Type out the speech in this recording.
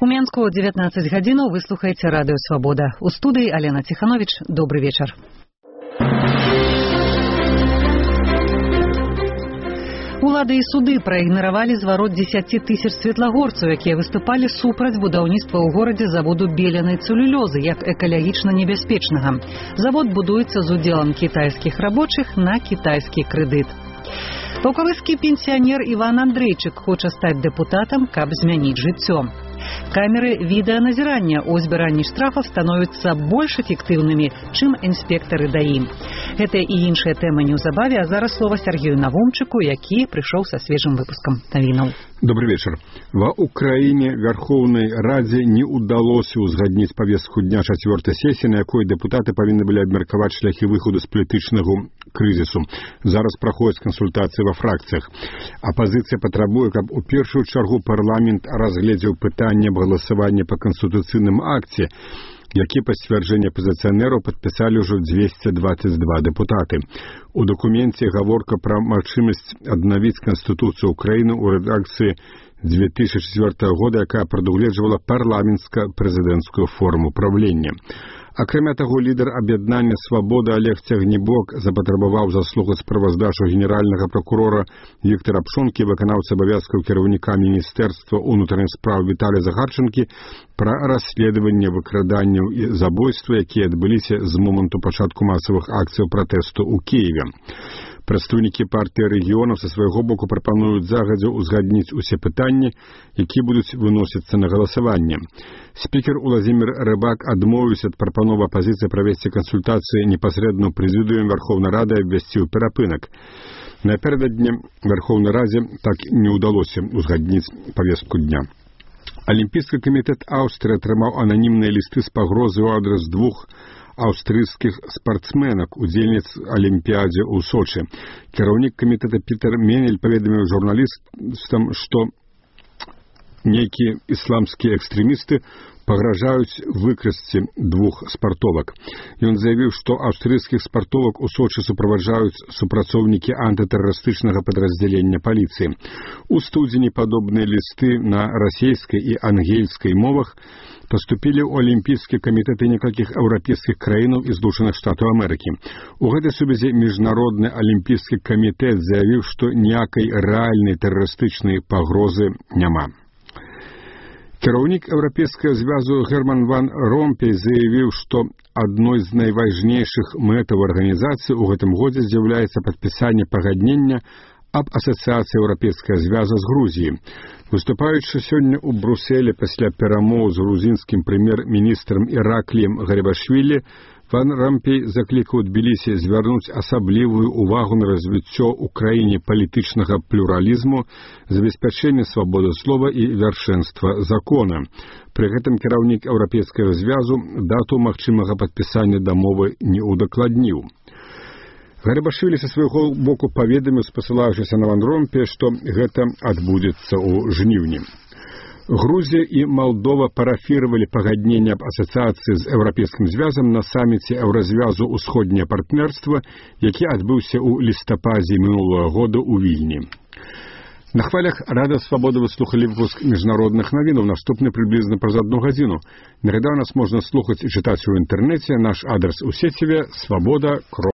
У Менску 19 гадзінаў вы слухаеце радыё Свабода. У студыі Алена Ціханович. Добры вечар. Улады і суды праігнаравалі зварот 10 тысяч светлагорцаў, якія выступалі супраць будаўніцтва ў горадзе заводу беленай цэлюлёзы як экалагічна небяспечнага. Завод будуецца з удзелам кітайскіх рабочых на кітайскі крэдыт. Паўкавыскі пенсіянер Іван Андрейчык хоча стаць дэпутатам, каб змяніць жыццё. Камеры відэаназірання ў збіранні штрафаў становяцца больш эфектыўнымі, чым інспектары ДАІ. Гэта і іншыя тэмы неўзабаве, а зараз слова Сергею Навумчыку, які прыйшоў са свежым выпускам навінаў. Добрый вечер. Ва Украине Верховной Раде не удалось узгаднить повестку дня 4-й сессии, на якой депутаты повинны были обмерковать шляхи выхода с политичного кризису. Зараз проходят консультации во фракциях. Оппозиция потребует, чтобы у первую чергу парламент разглядел питание голосования по конституционным акте, які па сцвярджэнні апазіцыянераў падпісалі ўжо 222 депутаты. У дакуменце гаворка пра магчымасць аднавіць Канстытуцыю Украіны ў рэдакцыі 2004 года, якая прадугледжвала парламенцка-прэзідэнцкую форму правлення. Акрамя таго, лідар аб'яднання «Свабода» Олег Цягнібок запатрабаваў заслухаць справаздачу генеральнага прокурора Віктара Пшонкі, выканаўцы абавязкаў кіраўніка Міністэрства ўнутраных спраў Віталія Загарчанкі пра расследаванне выкраданняў і забойства, якія адбыліся з моманту пачатку масавых акцыяў пратэсту ў Кіеве. Прадстаўнікі партыі рэгіёнаў са свайго боку прапануюць загадзя ўзгадніць усе пытанні, якія будуць выносіцца на галасаванне. Спікер Уладзімір Рыбак адмовіўся ад прапановы апазіцыі правесці кансультацыі непасрэдна ў прэзідыуме Верховнай Рады і абвясціў перапынак. Напярэдадні Верховнай Радзе так не ўдалося ўзгадніць павестку дня. Алімпійскі камітэт Аўстрыі атрымаў ананімныя лісты з пагрозай у адрас двух аўстрыйскіх спартсменак, удзельніц Алімпіядзе ў Сочы. Кіраўнік камітэта Пітер Менель паведаміў журналістам, што нейкія ісламскія экстрэмісты пагражаюць выкрасці двух спартовак. Ён заявіў, што аўстрыйскіх спартовак у Сочы суправаджаюць супрацоўнікі антытэрарыстычнага падраздзялення паліцыі. У студзені падобныя лісты на расейскай і ангельскай мовах паступілі ў Алімпійскі камітэт некалькіх еўрапейскіх краінаў і Злучаных Штатаў Амерыкі. У гэтай сувязі Міжнародны алімпійскі камітэт заявіў, што ніякай рэальнай тэрарыстычнай пагрозы няма. Кіраўнік Еўрапейскага звязу Герман ван Ромпей заявіў, што адной з найважнейшых мэтаў арганізацыі ў гэтым годзе з'яўляецца падпісанне пагаднення аб асацыяцыі Еўрапейскага звяза з Грузіяй. Выступаючы сёння ў Брусэлі пасля перамоў з грузінскім прэм'ер-міністрам Іракліем Гарибашвілі, ван Ромпей заклікаў Тбілісі звярнуць асаблівую ўвагу на развіццё ў краіне палітычнага плюралізму, забеспячэнне свабоды слова і вяршэнства закона. Пры гэтым кіраўнік Еўрапейскага звязу дату магчымага падпісання дамовы не ўдакладніў. Гарибашвілі са свайго боку паведаміў, спасылаючыся на ван Ромпея, што гэта адбудзецца ў жніўні. Грузія і Малдова парафіравалі пагадненне аб асацыяцыі з Еўрапейскім звязам на саміце Еўразвязу «Усходняе партнерства», які адбыўся ў лістападзе мінулага года ў Вільні. На хвалях Рада Свабоды вы слухалі выпуск міжнародных навінаў, наступны прыблізна праз 1 гадзіну. Нагадай, нас можна слухаць і чытаць у інтэрнэце. Наш адрас у сеціве свабода.